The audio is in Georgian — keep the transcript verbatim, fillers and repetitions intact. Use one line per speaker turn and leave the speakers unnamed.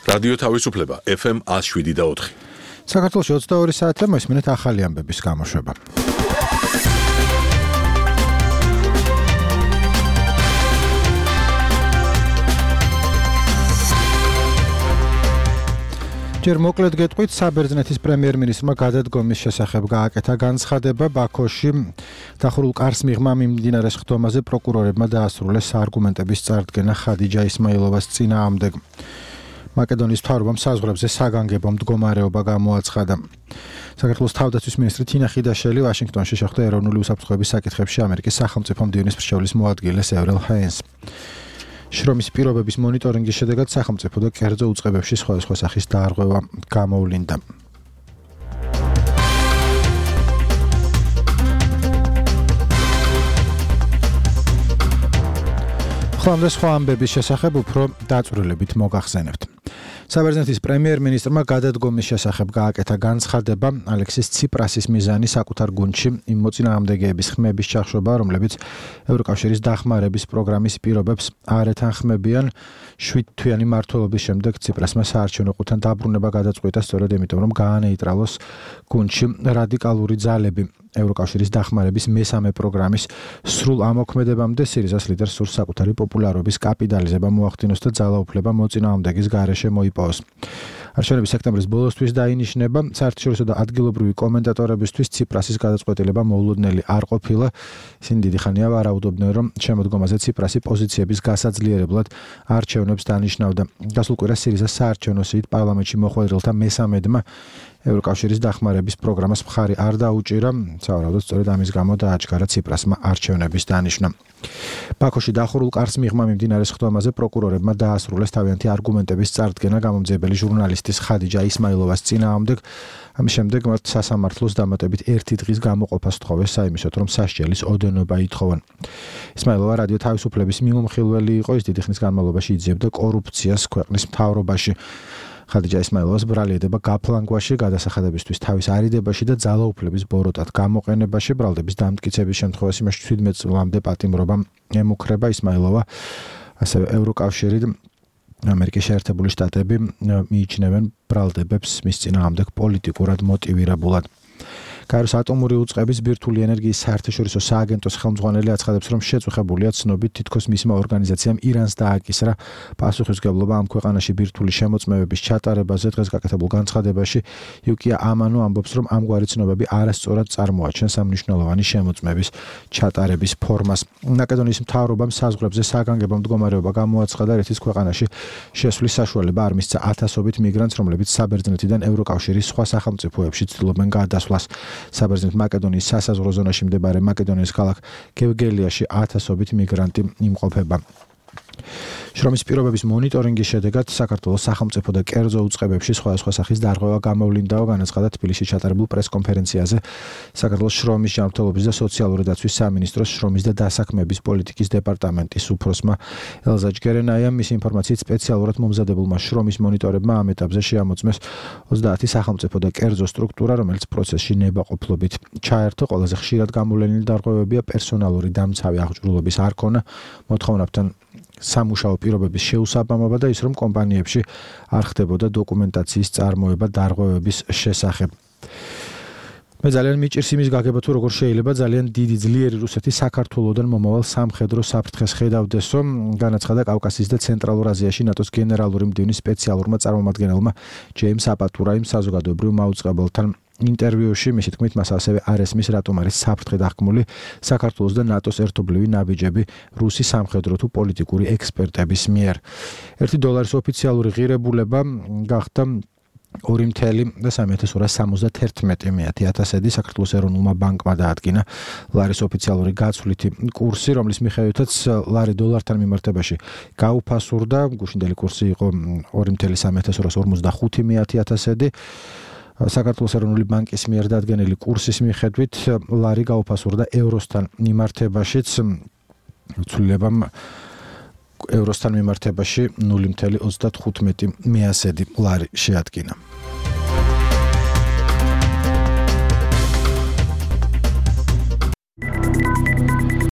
რადიო თავისუფლება ეფ ემ one oh seven და four.
საქართველოში ოცდაორი საათია მოისმინეთ ახალი ამბების გამოშვება. ჯერ მოკლედ გეტყვით, საბერძნეთის პრემიერ-მინისტრმა გადადგომის შესახებ გააკეთა განცხადება. ბაქოში დახურულ კარს მიღმა მიმდინარე სხდომაზე პროკურორებმა დაასრულეს არგუმენტების წარდგენა ხადიჯა ისმაილოვას წინააღმდეგ. მაკედონიის მთავრობამ საზღვრებზე საგანგებო მდგომარეობა გამოაცხადა. საქართველოს თავდაცვის მინისტრი თინა ხიდაშელი ვაშინგტონში შეხვდა ეროვნული უსაფრთხოების საკითხებში ამერიკის სახელმწიფო მდივნის მრჩევლის მოადგილეს ევრელ ჰეინს. შრომის პირობების მონიტორინგის შედეგად სახელმწიფო და კერძო უწყებებში სხვადასხვა სახის დაარღვევა გამოვლინდა. ხლამდე სხვა ამბების შესახებ უფრო დაწვრილებით მოგახსენებთ. საბერძნეთის პრემიერ-მინისტრმა გადადგომის შესახებ გააკეთა განცხადება. ალექსის ციპრასის მიზანი საკუთარ გუნდში იმ მოწინააღმდეგეების ხმების ჩახშობა, რომლებიც ევროკავშირის დახმარების პროგრამის პირობებს არ ეთანხმებიან. შვიდ თვიანი მმართველობის შემდეგ ციპრასმა საარჩევნო ყუთან დაბრუნება გადაწყვიტა სწორედ იმიტომ, რომ გაანეიტრალოს გუნდში რადიკალური ძალები. ევროკავშირის დახმარების მესამე პროგრამის სრულ ამოქმედებამდე სირიზას ლიდერს სურს საკუთარი პოპულარობის კაპიტალიზება მოახდინოს და ძალაუფლება მოწინააღმდეგის გარეშე მოიპოვოს. არჩევნები სექტემბრის ბოლოსთვის დაინიშნება. საერთაშორისო და ადგილობრივი კომენტატორებისთვის ციპრასის გადაწყვეტილება მოულოდნელი არ ყოფილა. ისინი დიდი ხანია ვარაუდობდნენ, რომ შემოდგომაზე ციპრასი პოზიციების გასაძლიერებლად არჩევნებს დანიშნავდა. გასულ კვირას სირიზას საარჩევნო სიით პარლამენტში მოხვედრილთა მესამედმა ევროკავშირის დახმარების პროგრამას მხარი არ დაუჭირა. სავარაუდოდ სწორედ ამის გამო დააჩქარა ციპრასმა არჩევნების დანიშვნა. ბაქოში დახურულ კარს მიღმა მიმდინარე სხდომაზე პროკურორებმა დაასრულეს თავიანთი არგუმენტების წარდგენა გამომძიებელი ჟურნალისტის ხადიჯა ისმაილოვას წინააღმდეგ. ამის შემდეგ მათ სასამართლოს დამატებით ერთი დღის გამოყოფას სთხოვეს საიმისოდ, რომ სასჯელის ოდენობა ითხოვან. ისმაილოვა რადიო თავისუფლების მიმომხილველი იყო. ის დიდი ხნის განმავლობაში იძიებდა კორუფციას ქვეყნის მთავრობაში. ხადიჯა ისმაილოვას ბრალი ედება გაფლანგვაში, გადასახადებისთვის თავის არიდებაში და ძალაუფლების ბოროტად გამოყენებაში. ბრალდების დამტკიცების შემთხვევაში მას შვიდმეტ წლამდე პატიმრობა ემუქრება. ისმაილოვა ასევე ევროკავშირი და ამერიკის შეერთებული შტატები მიიჩნევენ ბრალდებებს მის წინააღმდეგ პოლიტიკურად მოტივირებულად. კაიროს ატომური უწყების ბირთვული ენერგიის საერთაშორისო სააგენტოს ხელმძღვანელი აცხადებს, რომ შეწუხებულია ცნობით თითქოს მისმა ორგანიზაციამ ირანს დააკისრა პასუხისმგებლობა ამ ქვეყანაში ბირთვული შემოწმებების ჩატარებაზე. დღეს გაკეთებულ განცხადებაში იუკია ამანო ამბობს, რომ ამგვარი ცნობები არასწორად წარმოაჩენს ამ მნიშვნელოვანი შემოწმების ჩატარების ფორმას. მაკედონიის მთავრობამ საზღვრებზე საგანგებო მდგომარეობა გამოაცხადა, რითიც ქვეყანაში შესვლის საშუალება არ მისცა ათასობით მიგრანტს, რომლებიც საბერძნეთიდან ევროკავშირის სხვა სახელმწიფოებში ცდილობენ გადასვლას. საბერძნეთ მაკედონიის სასაზღვრო ზონაში მდებარე მაკედონიის ქალაქ გევგელიაში ათასობით მიგრანტი იმყოფება. შრომის პირობების მონიტორინგის შედეგად საქართველოს სახელმწიფო და კერძო უწყებებში სხვადასხვა სახის დარღვევა გამოვლინდაო, განაცხადა თბილისში ჩატარებულ პრესკონფერენციაზე საქართველოს შრომის ჯანმრთელობის და სოციალური დაცვის სამინისტროს შრომის და დასაქმების პოლიტიკის დეპარტამენტის უფროსმა ელზა ჯგერენაიამ. მის ინფორმაციით სპეციალურად მომზადებულმა შრომის მონიტორებმა ამ ეტაპზე შეამოწმეს ოცდაათი სახელმწიფო და კერძო სტრუქტურა, რომელიც პროცესში ნებაყოფლობით ჩაერთო. ყველაზე ხშირად გამოვლენილი დარღვევებია პერსონალური დამცავი აღჭურვილობის არ ქონა, მოთხოვნებთან სამუშაო პირობების შეუსაბამობა და ის, რომ კომპანიებში არ ხდებოდა დოკუმენტაციის წარმოება დარღვევების შესახებ. მე ძალიან მიჭირს იმის გაგება, თუ როგორ შეიძლება ძალიან დიდი ძლიერი რუსეთი საქართველოსდან მომავალ სამხედრო საფრთხეს ხედავდესო, განაცხადა კავკასიის და ცენტრალურ აზიაში ნატოს გენერალური მდივნის სპეციალურმა წარმომადგენელმა ჯეიმს აპატურაიმ საზოგადოებრივ მაუწყებელთან ინტერვიუში. მისი თქმით, მას ასევე არ ესმის, რატომ არის საფრთხე დახმული საქართველოს და ნატოს ერთობლივი ნაბიჯები რუსი სამხედრო თუ პოლიტიკური ექსპერტების მიერ. ერთი დოლარის ოფიციალური ღირებულება გახდა ორი და სამი ათას ორას სამოცდათერთმეტი ათასედი. საქართველოს ეროვნულმა ბანკმა დაადგინა ლარის ოფიციალური გაცვლითი კურსი, რომლის მიხედვითაც ლარი დოლართან მიმართებაში გაუფასურდა. გუშინდელი კურსი იყო ორი და სამი ათას ორას ორმოცდახუთი ათასედი. საქართველოს ეროვნული ბანკის მიერ დადგენილი კურსის მიხედვით ლარი გაუფასურდა ევროსთან მიმართებაშიც. ცვლილებამ ევროსთან მიმართებაში ნული და ოცდათხუთმეტი ლარი შეადგინა.